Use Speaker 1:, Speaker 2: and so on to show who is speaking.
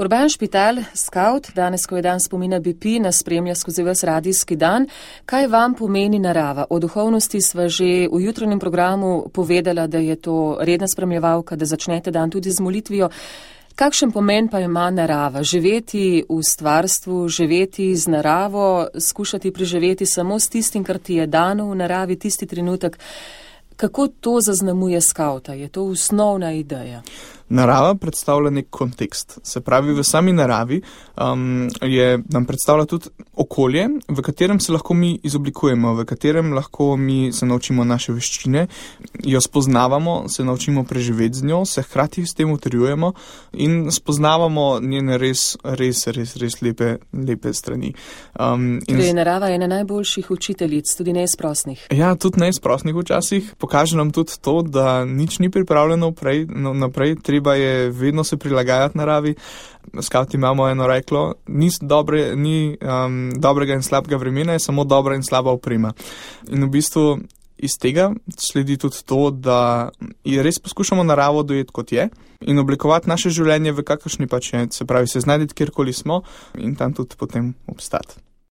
Speaker 1: Urban Špital, Scout, danes, ko je dan spomina BP, nas spremlja skozi ves radijski dan. Kaj vam pomeni narava? O duhovnosti sva že v jutranjem programu povedala, da je to redna spremljevalka, da začnete dan tudi z molitvijo. Kakšen pomen pa ima narava? Živeti v stvarstvu, živeti z naravo, skušati preživeti samo s tistim, kar ti je dano v naravi, tisti trenutek. Kako to zaznamuje skauta? Je to osnovna ideja?
Speaker 2: Narava predstavlja nek kontekst. Se pravi, v sami naravi nam predstavlja tudi okolje, v katerem se lahko mi izoblikujemo, v katerem lahko mi se naučimo naše veščine, jo spoznavamo, se naučimo preživeti z njo, se hkrati s tem utrjujemo in spoznavamo njene res lepe strani.
Speaker 1: Torej, narava je ena najboljših učiteljic, tudi neizprosnih.
Speaker 2: Ja, tudi neizprosnih včasih. Pokaže nam tudi to, da nič ni pripravljeno naprej, treba je vedno se prilagajati naravi. Skavti imamo eno reklo, ni dobrega in slabega vremena, je samo dobra in slaba oprema. In v bistvu iz tega sledi tudi to, da res poskušamo naravo dojeti kot je in oblikovati naše življenje v kakršni pač je, se pravi se znajdeti kjerkoli smo in tam tudi potem obstati.